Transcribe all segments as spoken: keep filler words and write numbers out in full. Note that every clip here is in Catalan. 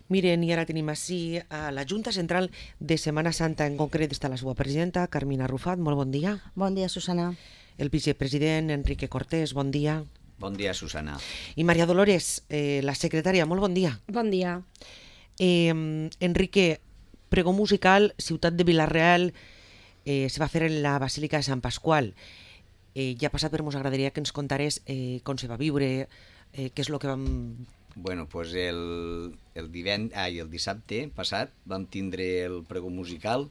Miren, i ara tenim així a la Junta Central de Setmana Santa, en concret està la seva presidenta, Carmina Arrufat, molt bon dia. Bon dia, Susana. El vicepresident, Enrique Cortés, bon dia. Bon dia, Susana. I Maria Dolores, eh, la secretària, molt bon dia. Bon dia. Eh, Enrique, pregó musical, Ciutat de Vila-real, eh, se va fer en la Basílica de Sant Pasqual. Eh, ja passat, però ens agradaria que ens contares eh, com se va viure, eh, què és el que vam... Bueno, pues el, el, divend... ah, el dissabte passat vam tindre el pregó musical,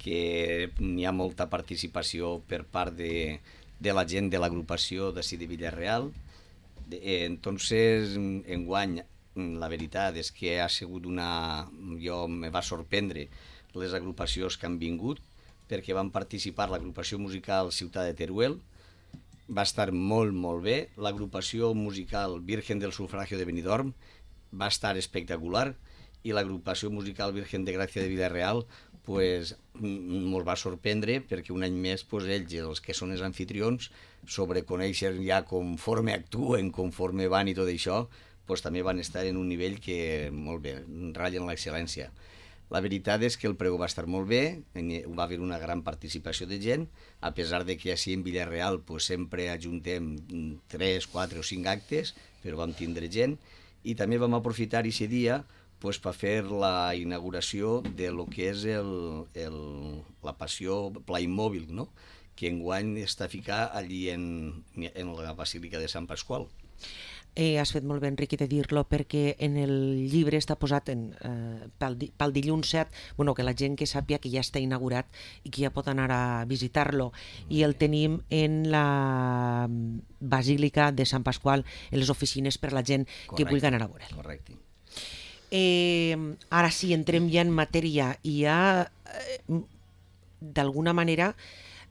que n'hi ha molta participació per part de, de la gent de l'agrupació d'ací de Vila-real. Eh, entonces, enguany, la veritat és que ha sigut una... Jo me va sorprendre les agrupacions que han vingut, perquè van participar l'agrupació musical Ciutat de Teruel, va estar molt, molt bé. L'agrupació musical Virgen del Sufragio de Benidorm va estar espectacular, i l'agrupació musical Virgen de Gràcia de Vila-real pues, ens va sorprendre, perquè un any més pues, ells, els que són els anfitrions, sobre conèixer ja conforme actuen, conforme van i tot això, pues, també van estar en un nivell que, molt bé, ratllen l'excel·lència. La veritat és que el pregó va estar molt bé, va haver una gran participació de gent, a pesar de que així en Vila-real pues, sempre ajuntem tres, quatre o cinc actes, però vam tindre gent, i també vam aprofitar aquest dia pues, per fer la inauguració de lo que és el, el, la passió Playmobil, no? Que enguany està ficat allí en, en la Basílica de Sant Pasqual. Eh, has fet molt bé, Enrique, de dir-lo, perquè en el llibre està posat en, eh, pel, pel dilluns set, bueno, que la gent que sàpia que ja està inaugurat i que ja pot anar a visitar-lo, i el tenim en la Basílica de Sant Pasqual, en les oficines per la gent Correcte. Que vulgui anar a veure'l. Correcte. Eh, ara sí, entrem ja en matèria, i ja, eh, d'alguna manera,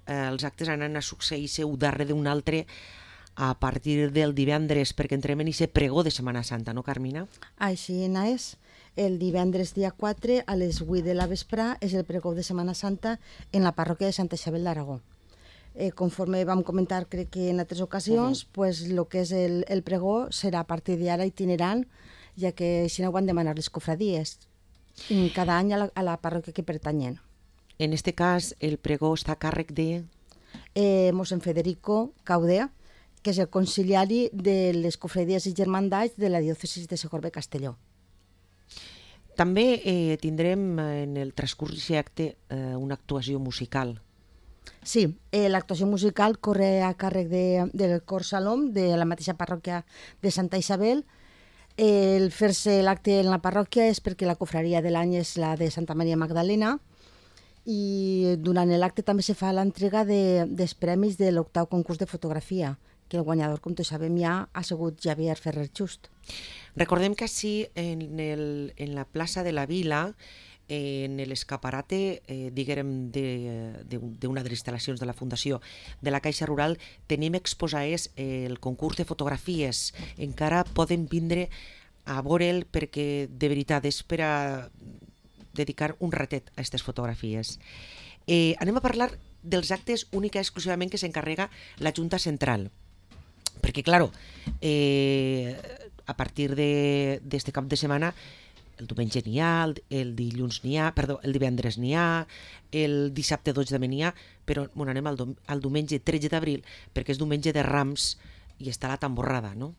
eh, els actes han a succeir-se un darrere d'un altre a partir del divendres, perquè entrem en aquest pregó de Setmana Santa, no, Carmina? Així és. El divendres dia quatre a les vuit de la vesprà és el pregó de Setmana Santa en la parròquia de Santa Isabel d'Aragó. Eh, conforme vam comentar, crec que en altres ocasions, uh-huh. pues, el que és el, el pregó serà a partir d'ara itinerant, ja que així no ho han demanat les cofradies, cada any a la, a la parròquia que pertanyen. En este cas, el pregó està a càrrec de... Eh, mossèn Federico Caudea, que és el conciliari de les cofradies i germandats de la diòcesis de Segorbe Castelló. També eh, tindrem en el transcurs d'aquest acte eh, una actuació musical. Sí, eh, l'actuació musical corre a càrrec de, del cor Salom, de la mateixa parròquia de Santa Isabel. Eh, el fer-se l'acte en la parròquia és perquè la cofraria de l'any és la de Santa Maria Magdalena, i durant l'acte també se fa l'entrega de, dels premis de l'octau concurs de fotografia, que el guanyador, com tots sabem ja, ha sigut Javier Ferrer Just. Recordem que així, en, el, en la plaça de la Vila, eh, en l'escaparate, eh, diguem, d'una de les instal·lacions de la Fundació de la Caixa Rural, tenim exposades eh, el concurs de fotografies. Encara poden vindre a veure'l, perquè de veritat és per a dedicar un ratet a aquestes fotografies. Eh, anem a parlar dels actes única i exclusivament que s'encarrega la Junta Central. Perquè, claro, eh, a partir d'aquest cap de setmana, el diumenge n'hi ha, el, el dilluns n'hi ha, perdó, el divendres n'hi ha, el dissabte dotze també n'hi ha, però bueno, anem al, al diumenge tretze d'abril, perquè és diumenge de Rams i està la tamborrada, no?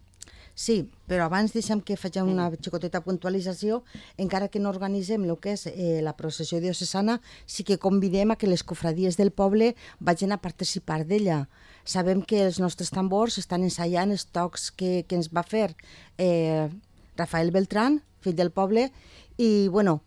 Sí, però abans deixem que faig una xicoteta puntualització. Encara que no organitzem el que és eh, la processió diocesana, sí que convidem a que les cofradies del poble vagin a participar d'ella. Sabem que els nostres tambors estan ensaiant els tocs que, que ens va fer eh, Rafael Beltrán, fill del poble, i bueno,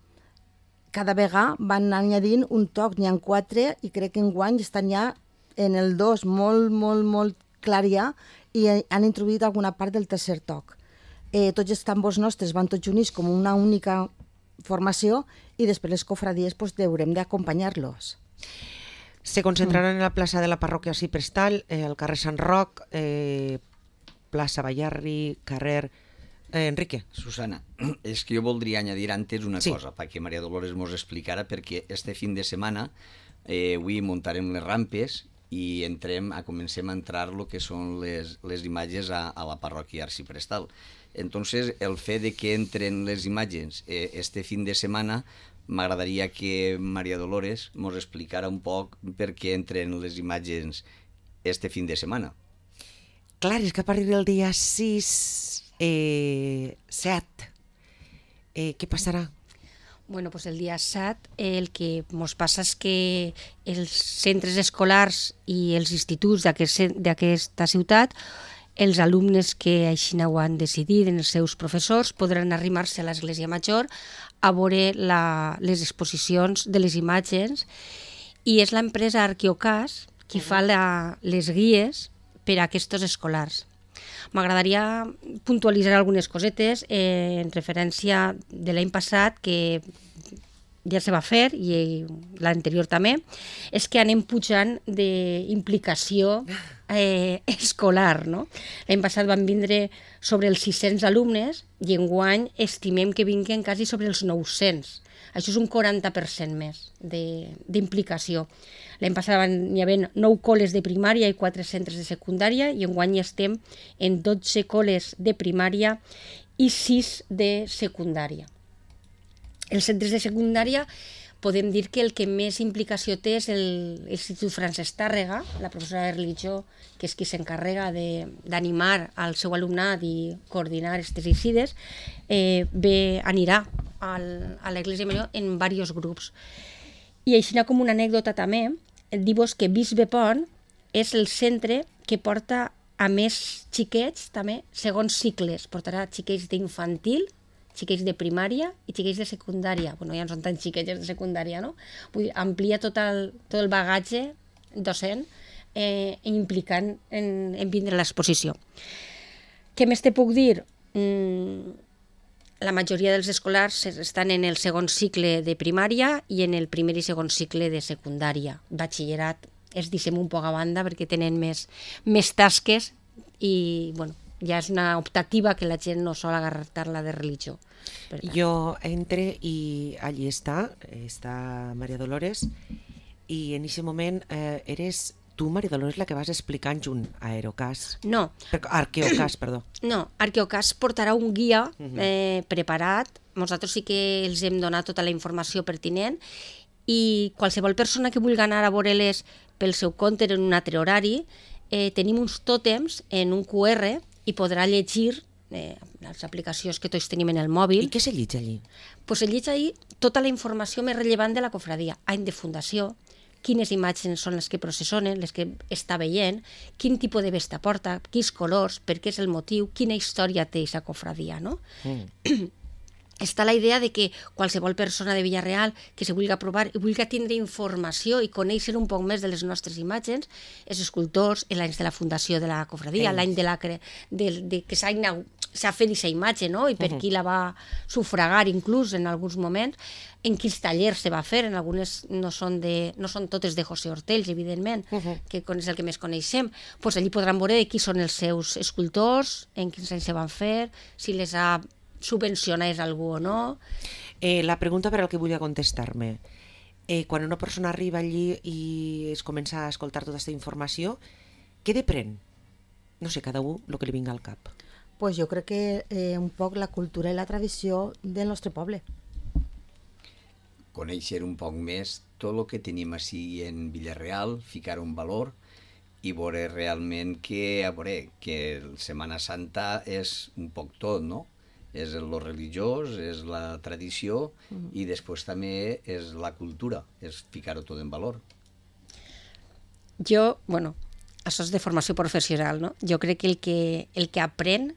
cada vegada van añadint un toc, n'hi ha quatre, i crec que enguany estan ja en el dos molt, molt, molt clar ja, i han introduït alguna part del tercer toc. Eh, tots els tambors nostres van tots units com una única formació, i després les cofradies pues, haurem d'acompanyar-los. Se concentraran en la plaça de la parròquia Ciprestal, eh, al carrer Sant Roc, eh, plaça Ballarri, carrer... Eh, Enrique. Susana, és que jo voldria añadir antes una sí. cosa, perquè Maria Dolores mos explicara, perquè este fin de setmana eh, avui muntarem les rampes i entrem a comencem a entrar el que són les, les imatges a, a la parròquia Arciprestal. Entonces, el fet de que entren les imatges eh, este fin de setmana, m'agradaria que Maria Dolores mos explicara un poc per què entren les imatges este fin de setmana. Clar, és que a partir del dia sis, eh, set, eh, què passarà? Bueno, pues el dia set el que ens passa és que els centres escolars i els instituts d'aquesta ciutat, els alumnes que així ho han decidit en els seus professors, podran arrimar-se a l'Església Major a veure la, les exposicions de les imatges, i és l'empresa Arqueocas qui fa la, les guies per a aquests escolars. M'agradaria puntualitzar algunes cosetes eh, en referència de l'any passat, que ja se va fer, i l'anterior també, és que anem pujant d'implicació eh, escolar, no? L'any passat van vindre sobre els sis-cents alumnes i enguany estimem que vinguen quasi sobre els nou-cents. Això és un quaranta per cent més d'implicació. L'any passat hi havia nou col·les de primària i quatre centres de secundària, i enguany estem en dotze col·les de primària i sis de secundària. Els centres de secundària podem dir que el que més implicació té és l'Institut Francesc Tàrrega, la professora de religió, que és qui s'encarrega d'animar al seu alumnat i coordinar aquestes incides, eh, ve, anirà al, a l'Església Major en diversos grups. I així com una anècdota també, dir-vos que Bisbe Pont és el centre que porta a més xiquets, també, segons cicles. Portarà xiquets d'infantil, xiquets de primària i xiquets de secundària. Bueno, ja no són tan xiquets de secundària, no? Vull dir, amplia tot el, tot el bagatge docent eh, implicant en, en vindre a l'exposició. Què més te puc dir? Mm, la majoria dels escolars estan en el segon cicle de primària i en el primer i segon cicle de secundària. Batxillerat es deixem un poc a banda perquè tenen més, més tasques i, bueno, ja és una optativa que la gent no sol agarrar-la de religió. Jo entre i allí està, està Maria Dolores, i en aquest moment eh, eres tu, Maria Dolores, la que vas explicant junt a Aerocas. No. Arqueocas, perdó. No, Arqueocas portarà un guia eh, preparat. Nosaltres sí que els hem donat tota la informació pertinent, i qualsevol persona que vulgui anar a veure-les pel seu compte en un altre horari, eh, tenim uns tòtems en un cu erre i podrà llegir eh, les aplicacions que tots tenim en el mòbil. I què se llig allí? Pues se llig allí tota la informació més rellevant de la cofradia. Any de fundació, quines imatges són les que processonen, les que està veient, quin tipus de vesta porta, quins colors, per què és el motiu, quina història té aquesta cofradia, no? Mm. Està la idea de que qualsevol persona de Villarreal que se vulgui provar i vulgui tindre informació i conèixer un poc més de les nostres imatges, els escultors, l'any de la fundació de la cofradia, l'any de la cre... de, de que s'ha fet aquesta imatge, no? I per uh -huh. qui la va sufragar inclús en alguns moments, en quins tallers se va fer, en algunes no són, de, no són totes de José Hortells, evidentment, uh -huh. que és el que més coneixem. Pues allí podran veure de qui són els seus escultors, en quins anys se van fer, si les ha subvencionés algú o no. Eh, la pregunta per al que volia contestar-me. Eh, quan una persona arriba allí i es comença a escoltar tota aquesta informació, què depèn? No sé, cada un el que li vinga al cap. Pues jo crec que eh, un poc la cultura i la tradició del nostre poble. Conèixer un poc més tot el que tenim així en Villarreal, ficar un valor i veure realment que, a veure, que el Setmana Santa és un poc tot, no? És el religiós, és la tradició mm. i després també és la cultura, és ficar-ho tot en valor. Jo, bueno, això és de formació professional, no? Jo crec que el que, el que aprèn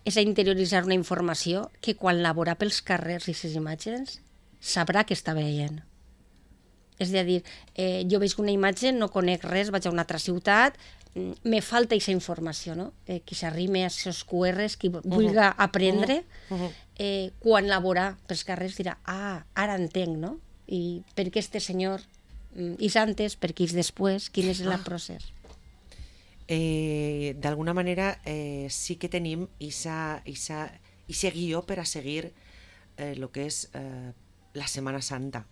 és a interioritzar una informació que quan la veurà pels carrers i les imatges sabrà què està veient. És a dir, eh, jo veig una imatge, no conec res, vaig a una altra ciutat, me falta aquesta informació, no? Eh, qui s'arrime a aquests cu erres, qui vulgui uh -huh. aprendre, uh -huh. eh, quan la veurà pels carrers dirà, ah, ara entenc, no? I per què este senyor és antes, per què és després, quin és el ah. procés. Eh, D'alguna manera eh, sí que tenim aquest guió per a seguir el eh, que és eh, la Setmana Santa.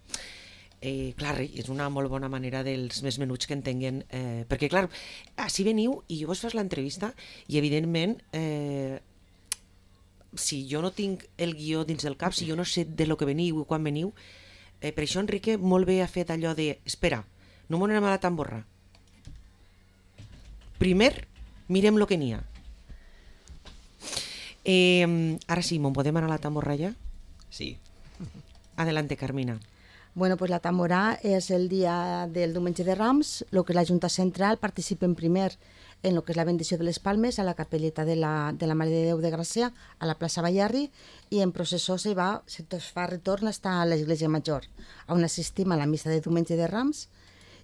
Eh, clar, és una molt bona manera dels més menuts que entenguen, eh, perquè clar, així veniu i vos fas l'entrevista i evidentment eh, si jo no tinc el guió dins del cap, si jo no sé de lo que veniu i quan veniu, eh, per això Enrique molt bé ha fet allò de, espera, no m'ho anem a la tamborra. Primer, mirem lo que n'hi ha. Eh, ara sí, ¿mon podem anar a la tamborra ja? Sí. Adelante, Carmina. Bueno, pues la tamborà és el dia del diumenge de Rams, el que la Junta Central participen primer en lo que és la bendició de les palmes a la capelleta de la, de la Mare de Déu de Gràcia, a la plaça Ballarri, i en processó se va, se fa retorn està a l'església major, on assistim a la missa de diumenge de Rams,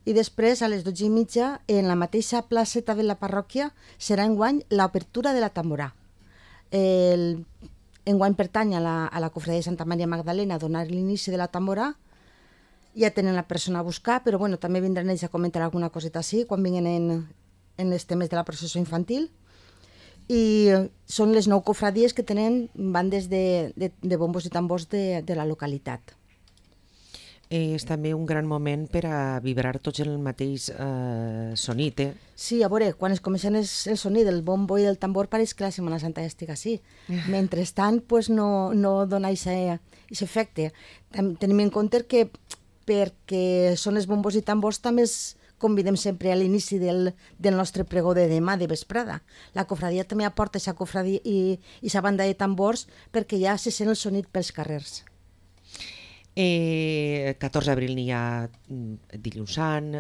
i després a les dotze i mitja, en la mateixa placeta de la parròquia, serà enguany l'obertura de la tamborà. El, enguany pertany a la, a la cofradia de Santa Maria Magdalena a donar l'inici de la tamborà. Ja tenen la persona a buscar, però bueno, també vindran ells a comentar alguna coseta així quan vinguin en, en els temes de la processó infantil. I són les nou cofradies que tenen bandes de, de, de bombos i tambors de, de la localitat. Eh, és també un gran moment per a vibrar tots el mateix eh, sonit, eh? Sí, a veure, quan es comencen el, el sonit del bombo i del tambor pareix que la Setmana Santa ja estic així. Mentrestant, pues, no, no dona aquest efecte. Tenim en compte que perquè són els bombos i tambors també es convidem sempre a l'inici del, del nostre pregó de demà, de vesprada. La cofradia també aporta aquesta cofradia i aquesta banda de tambors perquè ja se sent el sonit pels carrers. Eh, catorze d'abril n'hi ha dilluns sant,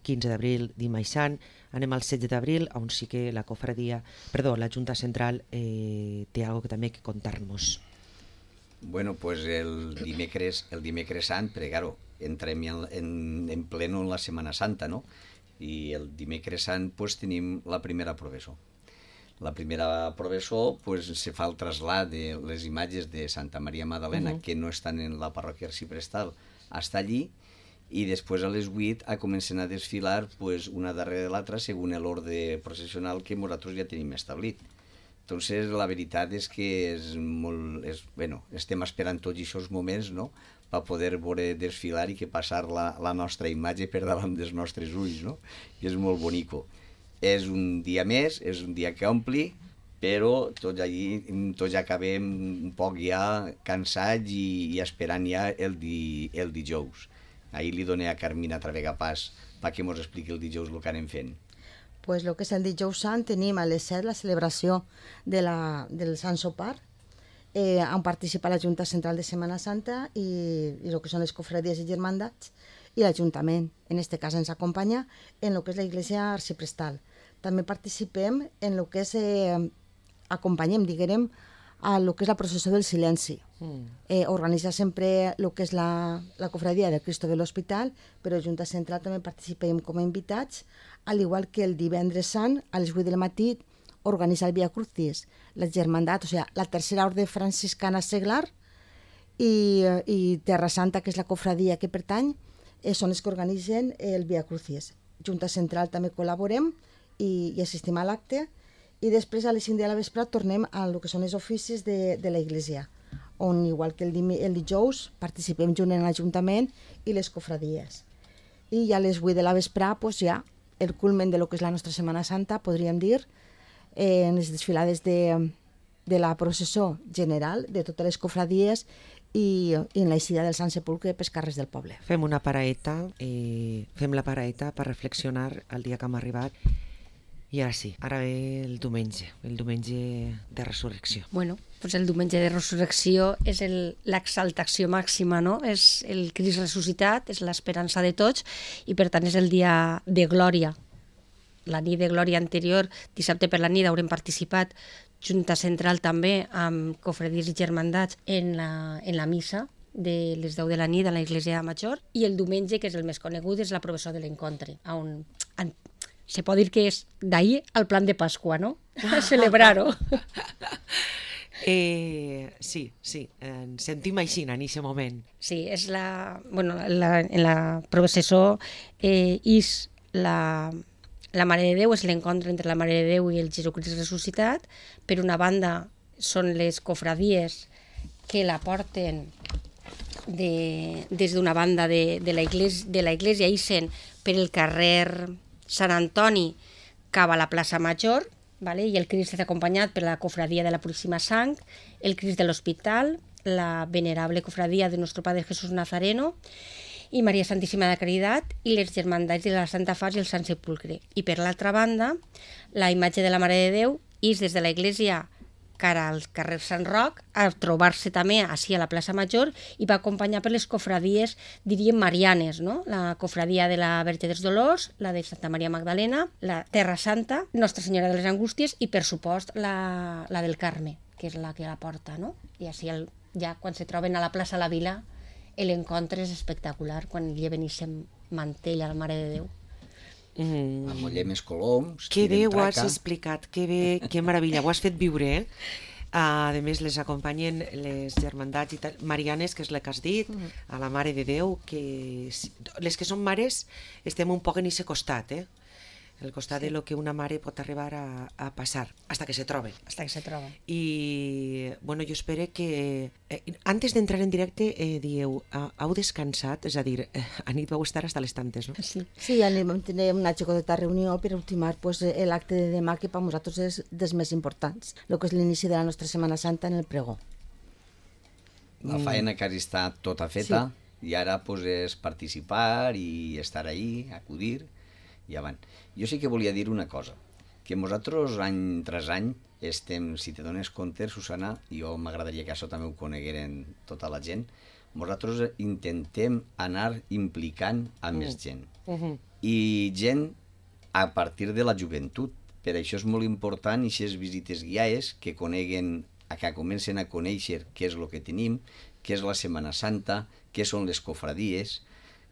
quinze d'abril dimarts sant, anem al setze d'abril on sí que la cofradia, perdó, la Junta Central eh, té algo que també que contar-nos. Bueno, pues el dimecres, el dimecres sant, perquè claro, entrem en, en, en pleno en la Setmana Santa, no? I el dimecres sant pues tenim la primera professó. La primera professó pues, se fa el trasllat de les imatges de Santa Maria Magdalena, uh-huh. que no estan en la parròquia arciprestal, hasta allí, i després a les vuit a comencen a desfilar pues, una darrere de l'altra segons l'ordre processional que nosaltres ja tenim establit. Entonces, la veritat és que és molt, és, bueno, estem esperant tots aquests moments, no?, per poder veure desfilar i que passar la, la nostra imatge per davant dels nostres ulls, no? I és molt bonico. És un dia més, és un dia que ompli, però tots allí, tots ja acabem un poc ja cansats i, i esperant ja el, di, el dijous. Ahir li doné a Carmina Travegapàs perquè mos expliqui el dijous el que anem fent. Pues el que és el dijous sant tenim a les set la celebració de la, del Sant Sopar, eh, on participa la Junta Central de Setmana Santa i, i el que són les cofradies i germandats i l'Ajuntament. En aquest cas ens acompanya en el que és la Iglesia Arciprestal. També participem en el que és, eh, acompanyem, diguem, a el que és la processó del silenci. Mm. Eh, organitza sempre el que és la, la cofradia del Cristo de l'Hospital, però a Junta Central també participem com a invitats, al igual que el divendres sant, a les vuit del matí, organitza el Via Crucis, la germandat, o sigui, la tercera ordre franciscana seglar i, i Terra Santa, que és la cofradia que pertany, eh, són els que organitzen el Via Crucis. Junta Central també col·laborem i, i assistim a l'acte, i després a les cinc de la vespre tornem a el que són els oficis de, de la Iglesia, on igual que el, dim el dijous participem junt en l'Ajuntament i les cofradies. I ja a les vuit de la vespre pues, ja el culmen de lo que és la nostra Setmana Santa, podríem dir, eh, en les desfilades de, de la processó general de totes les cofradies i, i en l'eixida del Sant Sepulcre pels carrers del poble. Fem una paraeta, eh, fem la paraeta per reflexionar el dia que hem arribat. I ara sí, ara ve el diumenge, el diumenge de resurrecció. Bueno, pues el diumenge de resurrecció és l'exaltació màxima, no? És el Crist ressuscitat, és l'esperança de tots i per tant és el dia de glòria. La nit de glòria anterior, dissabte per la nit, haurem participat Junta Central també amb cofradies i germandats en la, en la missa de les deu de la nit a la Iglesia Major, i el diumenge, que és el més conegut, és la professó de l'encontre, on se pot dir que és d'ahir al plan de Pasqua, no? A celebrar-ho. Eh, sí, sí, ens sentim així en aquest moment. Sí, és la, bueno, la, en la processó eh, és la, la Mare de Déu, és l'encontre entre la Mare de Déu i el Jesucrist ressuscitat. Per una banda són les cofradies que la porten de, des d'una banda de, de la iglesia, de la iglesia ixen per el carrer Sant Antoni cap a la plaça Major, vale? I el Crist és acompanyat per la cofradia de la Puríssima Sang, el Crist de l'Hospital, la venerable cofradia de Nuestro Padre Jesús Nazareno i Maria Santíssima de Caritat i les germandats de la Santa Fas i el Sant Sepulcre. I per l'altra banda, la imatge de la Mare de Déu és des de l'església cara al carrer Sant Roc, a trobar-se també així a la plaça Major i va acompanyar per les cofradies, diríem, marianes, no? La cofradia de la Verge dels Dolors, la de Santa Maria Magdalena, la Terra Santa, Nostra Senyora de les Angústies i, per supost, la, la del Carme, que és la que la porta, no? I així el, ja quan se troben a la plaça La Vila, l'encontre és espectacular, quan lleven aquest mantell a la Mare de Déu. Mm. Amb més coloms, Que bé ho has traca. explicat, que bé, que meravella, ho has fet viure, eh? Uh, a més, les acompanyen les germandats i tal, marianes, que és la que has dit, mm. a la Mare de Déu, que les que són mares estem un poc en aquest costat, eh? El costat sí. de lo que una mare pot arribar a, a passar, hasta que se trobe. Hasta que se troba. I, bueno, jo espero que... Eh, antes d'entrar en directe, eh, dieu, ah, heu descansat? És a dir, eh, a nit vau estar hasta les tantes, no? Sí. Sí, anem a tenir una xicoteta reunió per ultimar pues, l'acte de demà, que per nosaltres és dels més importants, el que és l'inici de la nostra Setmana Santa en el pregó. La faena que està tota feta, sí. I ara pues, és participar i estar ahí, acudir i avant. Jo sí que volia dir una cosa, que nosaltres any tras any estem, si te dones compte, Susana, i jo m'agradaria que això també ho conegueren tota la gent, nosaltres intentem anar implicant a més gent. Uh -huh. I gent a partir de la joventut. Per això és molt important aquestes visites guiades que coneguen, que comencen a conèixer què és el que tenim, què és la Setmana Santa, què són les cofradies.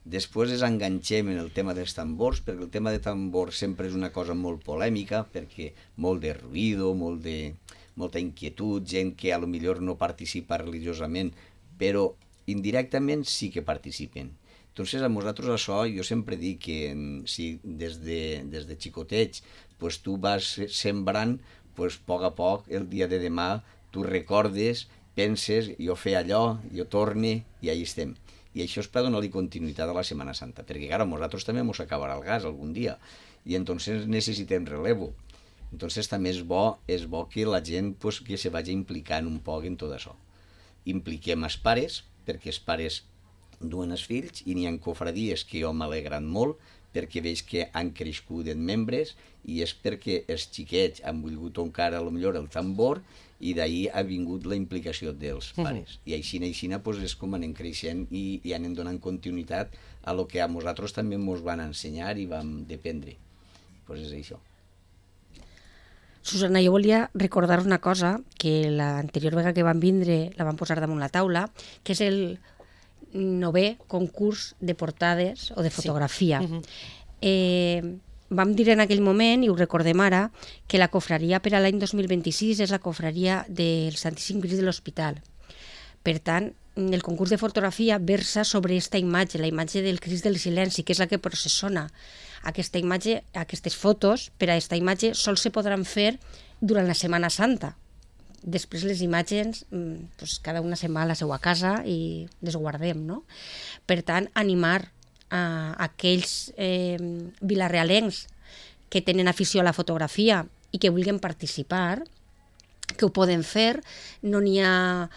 Després ens enganxem en el tema dels tambors, perquè el tema de tambors sempre és una cosa molt polèmica, perquè molt de ruïdo, molt de, molta inquietud, gent que a lo millor no participa religiosament, però indirectament sí que participen. Entonces, a nosaltres això, jo sempre dic que si des de, des de xicotets pues, tu vas sembrant, pues, a poc a poc, el dia de demà, tu recordes, penses, jo fer allò, jo torne, i ahí estem. I això és per donar-li continuïtat a la Setmana Santa, perquè, clar, a nosaltres també ens acabarà el gas algun dia, i entonces necessitem relevo. Entonces també és bo, és bo que la gent pues, que se vagi implicant un poc en tot això. Impliquem els pares, perquè els pares duen els fills, i n'hi ha cofradies que jo m'alegran molt, perquè veig que han crescut en membres, i és perquè els xiquets han volgut tocar a lo millor el tambor, i d'ahir ha vingut la implicació dels pares. Uh -huh. I així, així pues, és com anem creixent i, i anem donant continuïtat a lo que a nosaltres també ens van ensenyar i vam dependre. Pues és això. Susana, jo volia recordar una cosa, que l'anterior vegada que van vindre la van posar damunt la taula, que és el novè concurs de portades o de fotografia. Sí. Uh -huh. eh, vam dir en aquell moment, i ho recordem ara, que la cofraria per a l'any dos mil vint-i-sis és la cofraria del Santíssim Crist de l'Hospital. Per tant, el concurs de fotografia versa sobre aquesta imatge, la imatge del Crist del Silenci, que és la que processona. Aquesta imatge, aquestes fotos, per a aquesta imatge, sols se podran fer durant la Setmana Santa. Després les imatges, doncs, cada una se'n va a la seva casa i les guardem, no? Per tant, animar a aquells eh, vilarealencs que tenen afició a la fotografia i que vulguin participar, que ho poden fer, no n'hi ha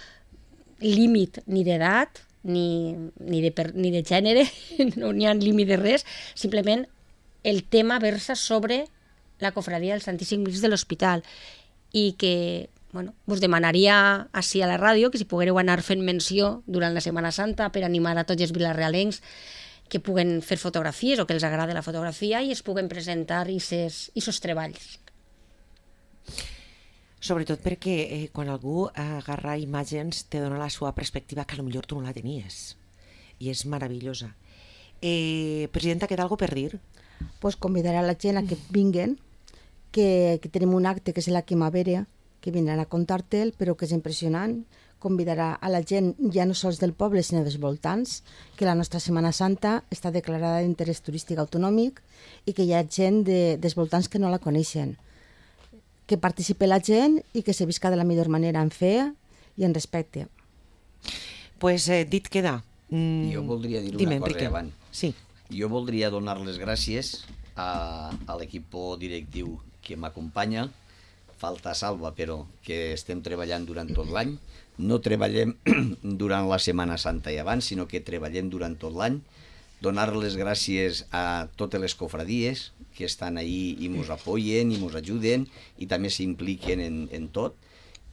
límit ni d'edat, ni, ni, de, per, ni de gènere, no n'hi ha límit de res, simplement el tema versa sobre la cofradia del Santíssim Crist de l'Hospital i que, bueno, us demanaria així a la ràdio que si poguéreu anar fent menció durant la Setmana Santa per animar a tots els vilarealencs que puguen fer fotografies o que els agrada la fotografia i es puguen presentar aquests treballs. Sobretot perquè eh, quan algú agarra imatges te dona la seva perspectiva que potser tu no la tenies i és meravellosa. Eh, Presidenta, queda alguna per dir? Pues convidar a la gent a que vinguen, que, que tenim un acte que és la Quimavera, que vindran a contar-te'l, però que és impressionant. Convidarà a la gent, ja no sols del poble, sinó dels voltants, que la nostra Setmana Santa està declarada d'interès turístic autonòmic i que hi ha gent de, dels voltants que no la coneixen. Que participi la gent i que se visca de la millor manera en fe i en respecte. Pues eh, dit queda. Mm, jo voldria dir dime, una cosa Enrique. abans. Sí. Jo voldria donar les gràcies a, a l'equip directiu que m'acompanya, falta salva, però que estem treballant durant tot l'any. No treballem durant la Setmana Santa i abans, sinó que treballem durant tot l'any. Donar les gràcies a totes les cofradies que estan ahí i ens apoyen i ens ajuden i també s'impliquen en, en tot.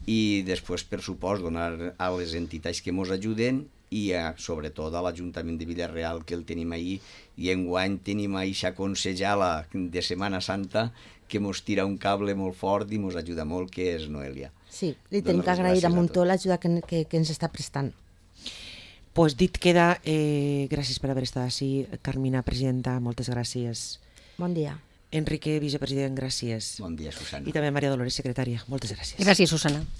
I després, per supost, donar a les entitats que ens ajuden i a, sobretot a l'Ajuntament de Vila-real, que el tenim ahí, i enguany tenim a eixa consellera de Setmana Santa que ens tira un cable molt fort i ens ajuda molt, que és Noelia. Sí, li tenim que agrair a Montó l'ajuda que, que, que ens està prestant. Pues dit queda, eh, gràcies per haver estat així. Carmina, presidenta, moltes gràcies. Bon dia. Enrique, vicepresident, gràcies. Bon dia, Susana. I també Maria Dolores, secretària. Moltes gràcies. Gràcies, Susana.